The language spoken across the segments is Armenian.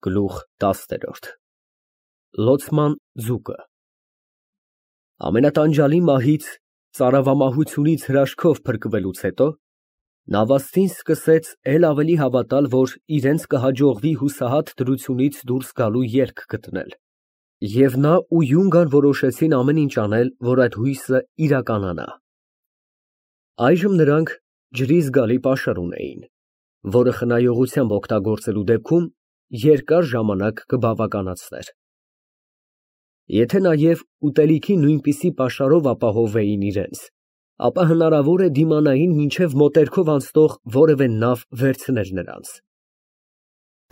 Գլուխ 10 Լոցման ձուկը Ամենատանջալի մահից, ծարավամահությունից հրաշքով փրկվելուց հետո Նավաստին սկսեց էլ ավելի հավատալ, որ իրենց կհաջողվի հուսահատ դրությունից դուրս գալու ելք գտնել, և նա ու Յունգան որոշեցին ամեն ինչ անել, որ այդ հույսը իրականանա։ Այժմ նրանք ջրի զգալի պաշար ունեին, որը խնայողությամբ օգտագործելու դեպքում երկար ժամանակ կբավականացներ։ Եթե նաև ուտելիքի նույնպիսի պաշարով ապահովեին իրենց, ապա հնարավոր է դիմանային մինչև մոտերքով անցնող որևէ նավ վերցներ նրանց։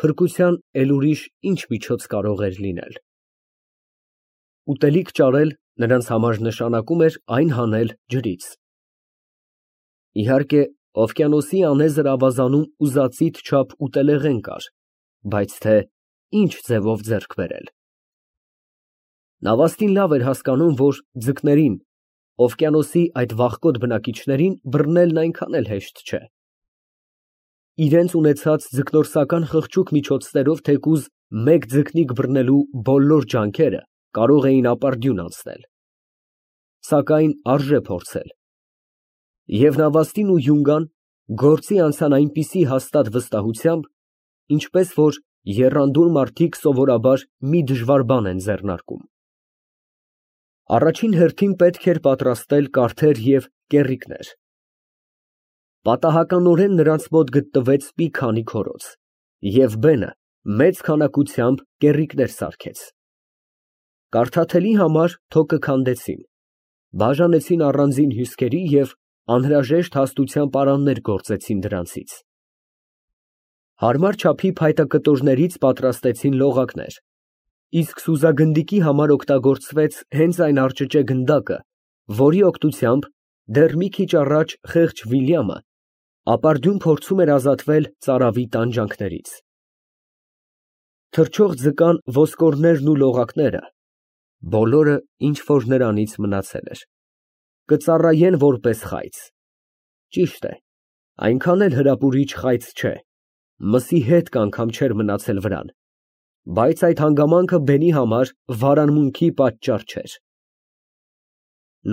Փրկության էլ ուրիշ ինչ միջոց կարող էր լինել։ Ուտելիք ճարել նրանց համար նշանակում էր այն հանել ջրից։ Իհարկե, օվկիանոսի անեզր ավազանում ուզածիդ չափ ուտելեղեն կար, բայց թե ինչ ձևով ձեռք բերել։ Նավաստին լավ էր հասկանում, որ ձկներին, օվկիանոսի այդ վախկոտ բնակիչներին բռնելն այնքան էլ հեշտ չէ։ Իրենց ունեցած ձկնորսական խղճուկ միջոցներով թեկուզ մեկ ձկնիկ բռնելու բոլոր ջանքերը կարող էին ապարդյուն անցնել։ Սակայն արժե փորձել։ Եվ Նավաստին ու Յունգան գործի անցան այնպիսի հաստատ վստահությամբ, ինչպես որ եռանդուն մարդիկ սովորաբար մի դժվար բան են ձեռնարկում։ Առաջին հերթին պետք էր պատրաստել կարթեր և կեռիկներ։ Պատահականորեն նրանց մոտ գտնվեց մի քանի քորոց, և Բենը մեծ քանակությամբ կեռիկներ սարքեց։ Կարդաթելի համար թոկը քանդեցին, բաժանեցին առանձին հյուսկերի և անհրաժեշտ հաստության պարաններ գործեցին դրանցից։ Հարմար չափի փայտակտորներից պատրաստեցին լողակներ, իսկ սուզագնդիկի համար օգտագործվեց հենց այն արճճե գնդակը, որի օգնությամբ դեռ մի քիչ առաջ խեղճ Վիլյամը ապարդյուն փորձում էր ազատվել ծարավի տանջանքներից։ Թռչող ձկան ոսկորներն ու լողակները, բոլորը, ինչ որ նրանից մնացել էր, կծառայեն որպես խայծ։ Ճիշտ է, այնքան էլ հրապուրիչ խայծ չէ, մսի հետք անգամ չէր մնացել վրան, բայց այդ հանգամանքը Բենի համար վարանմունքի պատճառ չէր։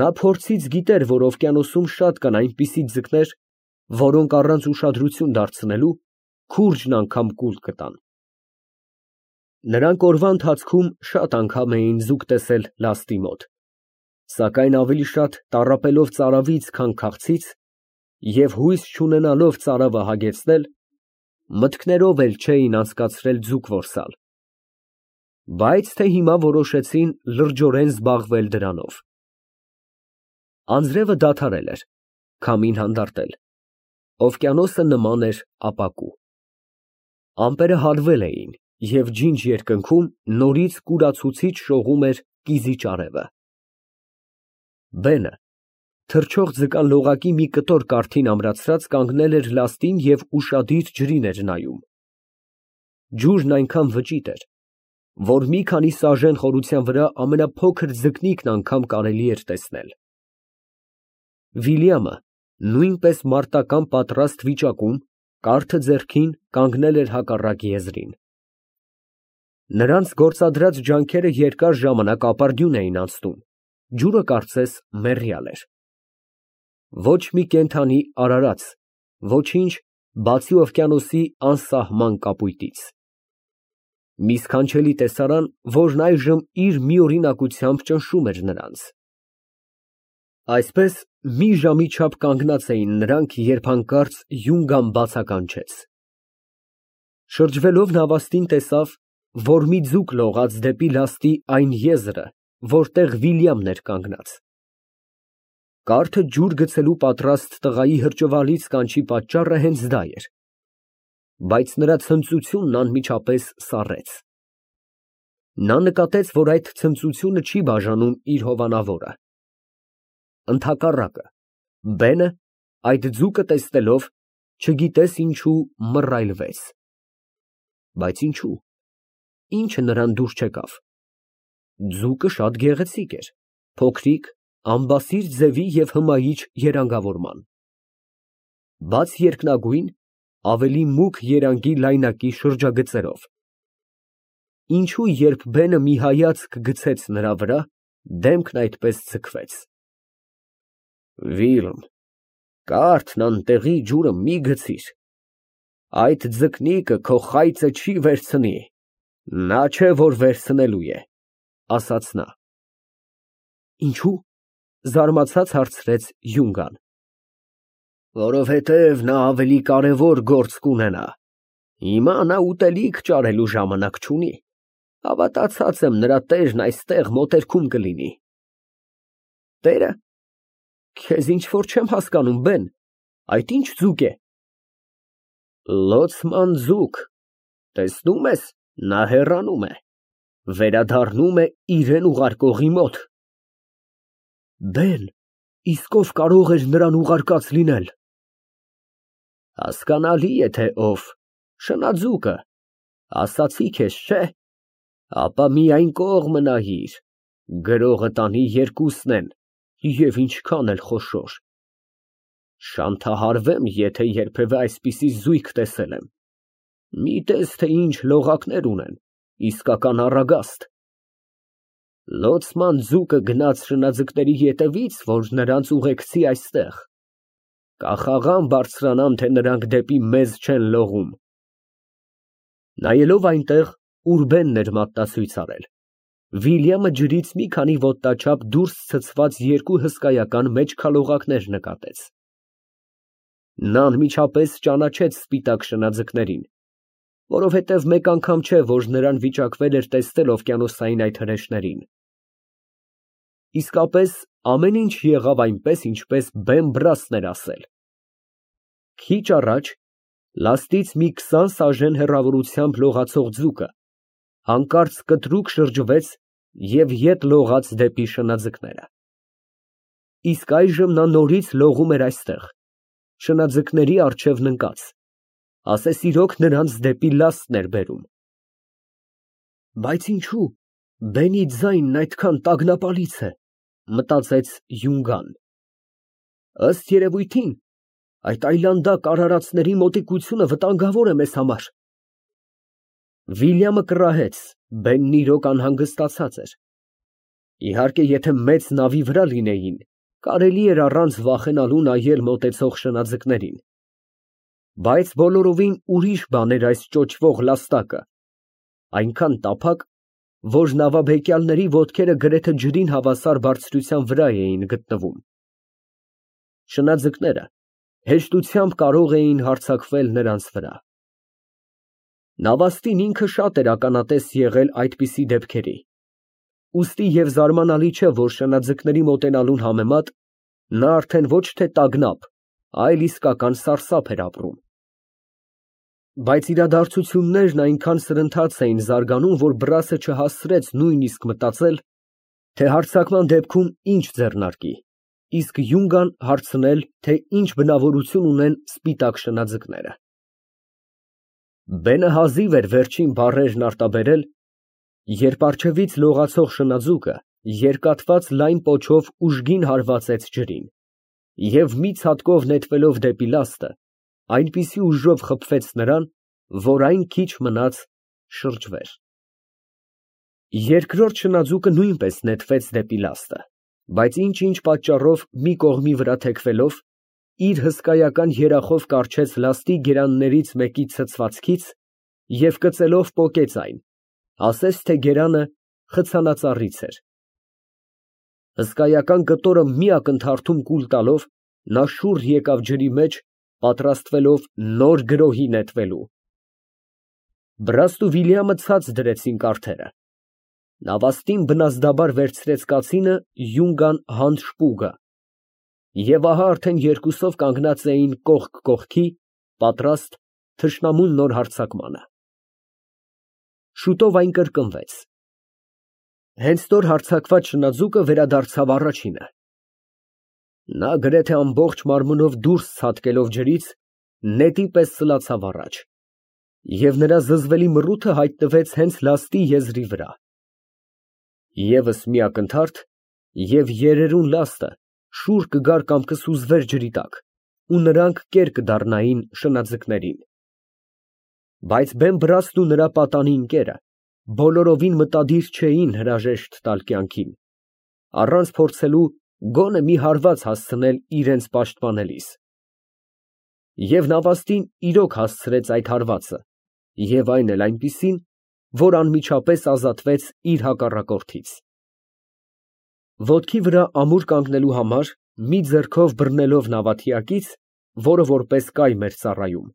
Նա փորձից գիտեր, որ օվկիանոսում շատ կան այնպիսի ձկներ, որոնք առանց ուշադրություն դարձնելու քուրձն անգամ կուլ կտան։ Նրանք օրվա ընթացքում շատ անգամ էին ձուկ տեսել լաստի մոտ, սակայն ավելի շատ տառապելով ծարավից, քան քաղցից, և հույս չունենալով ծարավը հագեցնել, մտքներով էլ չէին անցկացրել ձուկ որսալ, բայց թե հիմա որոշեցին լրջորեն զբաղվել դրանով։ Անձրևը դադարել էր, քամին հանդարտել, օվկիանոսը նման էր ապակու։ Ամպերը հալվել էին, և ջինջ երկնքում նորից կուրացուցիչ շողում էր կիզի ճարևը։ Բենը, թռչող ձկան լողակի մի կտոր կարթին ամրացրած, կանգնել էր լաստին և ուշադիր ջրին էր նայում։ Ջուրն այնքան վճիտ էր, որ մի քանի սաժեն խորության վրա ամենափոքր ձկնիկն անգամ կարելի էր տեսնել։ Վիլյամը, նույնպես մարտական պատրաստ վիճակում, կարթը ձեռքին, կանգնել էր հակառակ եզրին։ Նրանց գործադրած ջանքերը երկար ժամանակ ապարդյուն էին անցնում, ջուրը կարծես մեռյալ էր։ Ոչ մի կենդանի արարած, ոչինչ, բացի օվկիանոսի անսահման կապույտից։ Մի սքանչելի տեսարան, որն այժմ իր միօրինակությամբ ճնշում էր նրանց։ Այսպես մի ժամի չափ կանգնած էին նրանք, երբ հանկարծ Յունգան բացականչեց։ Շրջվելով Նավաստին տեսավ, որ մի ձուկ լողաց դեպի լաստի այն եզրը, որտեղ Վիլյամն էր կանգնած։ Կարթը ջուր գցելու պատրաստ տղայի հրճվալից կանչի պատճառը հենց դա էր, բայց նրա ցնծությունն անմիջապես սառեց։ Նա նկատեց, որ այդ ցնծությունը չի բաժանում իր հովանավորը։ Ընդհակառակը, Բենը, այդ ձուկը տեսնելով, չգիտես ինչու մռայլվեց։ Բայց ինչու՞, ի՞նչը նրան դուր չեկավ։ Ձուկը շատ գեղեցիկ էր, փոքրիկ, ամբասիր ձևի և հմայիչ երանգավորման։ Բաց երկնագույն, ավելի մուգ երանգի լայնակի շրջագծերով։ ինչու երբ բենը մի հայացք գցեց նրա վրա, դեմքն այդպես ձգվեց։ Վիլմ, կարթն անտեղի ջուրը մի գցիր, այդ ձկնիկը քո խայծը չի վերցնի, նա չէ, որ վերցնելու է, ասաց նա։ Ինչու՞, զարմացած հարցրեց Յունգան։ Որովհետև նա ավելի կարևոր գործ կունենա, հիմա նա ուտելիք ճարելու ժամանակ չունի, հավատացած եմ նրա տերն այստեղ մոտերքում կլինի։ Տերը, քեզ ինչ-որ չեմ հասկանում, բեն, այդ ինչ ձուկ է։ Լոցման ձուկ, տեսնում ես, նա հեռանում է, վերադառնում է իրեն ուղարկողի մոտ։ Բեն, իսկ ով կարող էր նրան ուղարկած լինել։ Հասկանալի է, թե ով, շնաձուկը, ասացի քեզ, չէ, ապա միայն կողմը նայիր, գրողը տանի երկուսն են, և ինչքան էլ խոշոր։ Շանթահարվեմ, եթե երբևէ այսպիսի զույգ տեսել եմ։ Մի տես, թե ինչ լողակներ ունեն, իսկական առագաստ։ Լոցման ձուկը գնաց շնաձկների ետևից, որ նրանց ուղեկցի այստեղ։ Կախաղան բարձրանամ, թե նրանք դեպի մեզ չեն լողում։ Նայելով այնտեղ, ուր բենն էր մատնացույց արել, Վիլյամը ջրից մի քանի ոտնաչափ դուրս ցցված երկու հսկայական մեծ քալողակներ նկատեց։ Նա անմիջապես ճանաչեց սպիտակ շնաձկներին, որովհետև մեկ անգամ չէ, որ նրան վիճակվել էր տեսնել օվկիանոսային այդ հրեշներին։ Իսկապես ամեն ինչ եղավ այնպես, ինչպես բեն Բրասն էր ասել։ Քիչ առաջ լաստից մի 20 սաժեն հեռավորությամբ լողացող ձուկը հանկարծ կտրուկ շրջվեց և ետ լողաց դեպի շնաձկները։ Իսկ այժմ նա նորից լողում էր այստեղ, շնաձկների առջևն ընկած, ասես իրոք նրանց դեպի լաստն էր բերում։ Բայց ինչու բենի ձայնն այդքան տագնապալից է, մտածեց Յունգան։ Ըստ երևույթին, այդ այլանդակ արարածների մոտիկությունը վտանգավոր է մեզ համար։ Վիլյամը կռահեց, բենն իրոք անհանգստացած էր։ Իհարկե, եթե մեծ նավի վրա լինեին, կարելի էր առանց վախենալու նայել մոտեցող շնաձկներին։ Բայց բոլորովին ուրիշ բան էր այս ճոճվող լաստակը, այնքան տափակ, որ նավաբեկյալների ոտքերը գրեթե ջրին հավասար բարձրության վրա էին գտնվում։ Շնաձկները հեշտությամբ կարող էին հարձակվել նրանց վրա։ Նավաստին ինքը շատ էր ականատես եղել այդպիսի դեպքերի, ուստի և զարմանալի չէ, որ շնաձկների մոտենալուն համեմատ նա արդեն ոչ թե տագնապ, այլ իսկական սարսափ էր ապրում։ Բայց իրադարձություններն այնքան սրընթաց էին զարգանում, որ Բրասը չհասցրեց նույնիսկ մտածել, թե հարձակման դեպքում ինչ ձեռնարկի, իսկ Յունգան հարցնել, թե ինչ բնավորություն ունեն սպիտակ շնաձկները։ Բենը հազիվ էր վերջին բառերն արտաբերել, երբ առջևից լողացող շնաձուկը երկաթված լայն պոչով ուժգին հարվածեց ջրին, և մի ցատկով նետվելով դեպի լաստը, այնպիսի ուժով խփվեց նրան, որ այն քիչ մնաց շրջվեր։ Երկրորդ շնաձուկը նույնպես նետվեց դեպի լաստը, բայց ինչ-ինչ պատճառով մի կողմի վրա թեքվելով, իր հսկայական երախով կառչեց լաստի գերաններից մեկի ցցվածքից և կծելով պոկեց այն, ասես թե գերանը խցանածառից էր։ Հսկայական կտորը մի ակնթարթում կուլ տալով, նա շուռ եկավ ջրի մեջ, պատրաստվելով նոր գրոհի նետվելու։ Բրասն ու Վիլյամը ցած դրեցին կարթերը։ Նավաստին բնազդաբար վերցրեց կացինը Յունգան հանդ շպուգը, և ահա արդեն երկուսով կանգնած էին կողք կողքի, պատրաստ թշնամուն նոր հարձակմանը։ Շուտով այն կրկնվեց։ Հենց նոր հարձակված շնաձուկը վերադարձավ առաջինը։ Նա գրեթե ամբողջ մարմնով դուրս ցատկելով ջրից, նետի պես սլացավ առաջ, և նրա զզվելի մռութը հայտնվեց հենց լաստի եզրի վրա։ Եվս մի ակնթարթ, և երերուն լաստը շուռ կգար կամ կսուզվեր ջրի տակ, ու նրանք կեր կդառնային շնաձկներին։ Բայց բեն Բրասն ու նրա պատանի ընկերը բոլորովին մտադիր չէին հրաժեշտ տալ կյանքին, առանց փորձելու գոնե մի հարված հասցնել իրենց պաշտպանելիս։ Եվ նավաստին իրոք հասցրեց այդ հարվածը, և այն էլ այնպիսին, որ անմիջապես ազատվեց իր հակառակորդից։ Ոտքի վրա ամուր կանգնելու համար մի ձեռքով բռնելով նավաթիակից, որը որպես կայմ էր ծառայում,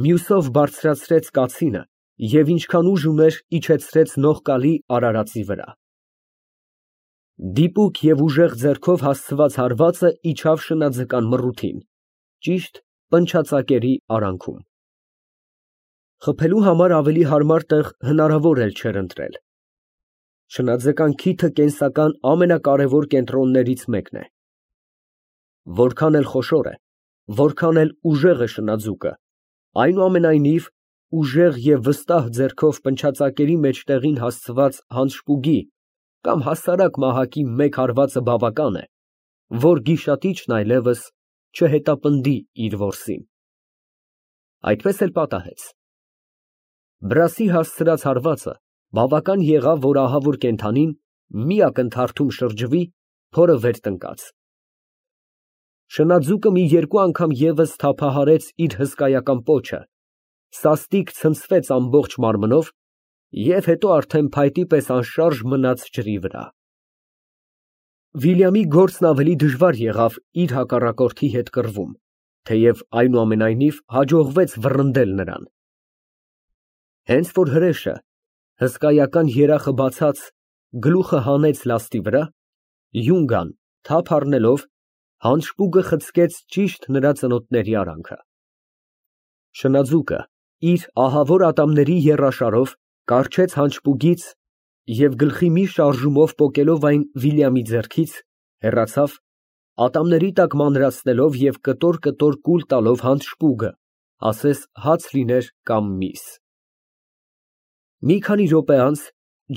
մյուսով բարձրացրեց կացինը և ինչքան ուժ ուներ, իջեցրեց նողկալի արարածի վրա։ Դիպուկ և ուժեղ ձեռքով հասցված հարվածը իջավ շնաձկան մռութին, ճիշտ պնչացակերի արանքում։ Խփելու համար ավելի հարմար տեղ հնարավոր էլ չէր ընտրել։ Շնաձկան քիթը կենսական ամենակարևոր կենտրոններից մեկն է։ Որքան էլ խոշոր է, որքան էլ ուժեղ է շնաձուկը, այնուամենայնիվ ուժեղ և վստահ ձեռքով պնչացակերի մեջտեղին հասցված հանշպուգի կամ հասարակ մահակի մեկ հարվածը բավական է, որ գիշատիչն այլևս չհետապնդի իր որսին։ Այդպես էլ պատահեց։ Բրասի հասցրած հարվածը բավական եղավ, որ ահավոր կենդանին մի ակնթարթում շրջվի, փորը վեր տնկած։ Շնաձուկը մի երկու անգամ ևս թափահարեց իր հսկայական պոչը, սաստիկ ցնցվեց ամբողջ մարմնով և հետո արդեն փայտի պես անշարժ մնաց ջրի վրա։ Վիլյամի գործն ավելի դժվար եղավ իր հակառակորդի հետ կռվում, թեև այնուամենայնիվ հաջողվեց վռնդել նրան։ Հենց որ հրեշը, հսկայական երախը բացած, գլուխը հանեց լաստի վրա, յունգան, թափ առնելով, հանշպուգը խցկեց ճիշտ նրա ծնոտների արանքը։ Շնաձուկը իր ահավոր ատամների եռաշարով կառչեց հանշպուգից և գլխի մի շարժումով պոկելով այն Վիլյամի ձեռքից, հեռացավ, ատամների տակ մանրացնելով և կտոր կուլ տալով հանշպուգը, ասես հաց լիներ կամ միս։ Մի քանի րոպե անց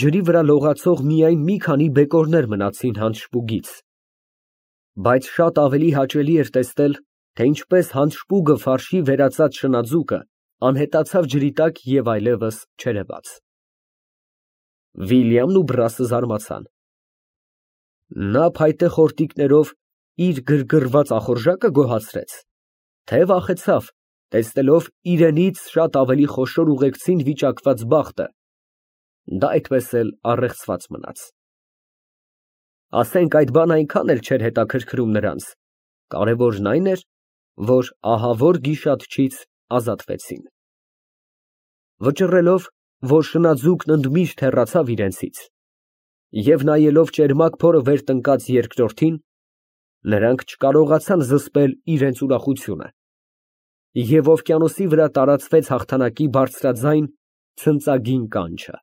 ջրի վրա լողացող միայն մի քանի բեկորներ մնացին հանշպուգից, բայց շատ ավելի հաճելի էր տեսնել, թե ինչպես հանշպուգը ֆարշի վերածած շնաձուկը անհետացավ ջրի տակ և այլևս չերևաց։ Վիլյամն ու Բրասը զարմացան։ Նա փայտե խորտիկներով իր գրգռված ախորժակը գոհացրեց, թե վախեցավ, տեսնելով իրենից շատ ավելի խոշոր ուղեկցին վիճակված բախտը, դա այդպես էլ առեղծված մնաց։ Ասենք այդ բանը այնքան էլ չէր հետաքրքրում նրանց, կարևորն այն էր, որ ահավոր գիշատչից ազատվեցին։ Վճռելով, որ շնաձուկն ընդմիշտ հեռացավ իրենցից, և նայելով ճերմակ փորը վեր տնկած երկրորդին, նրանք չկարողացան զսպել իրենց ուրախությունը, և օվկիանոսի վրա տարածվեց հաղթանակի բարձրաձայն ցնծագին կանչը։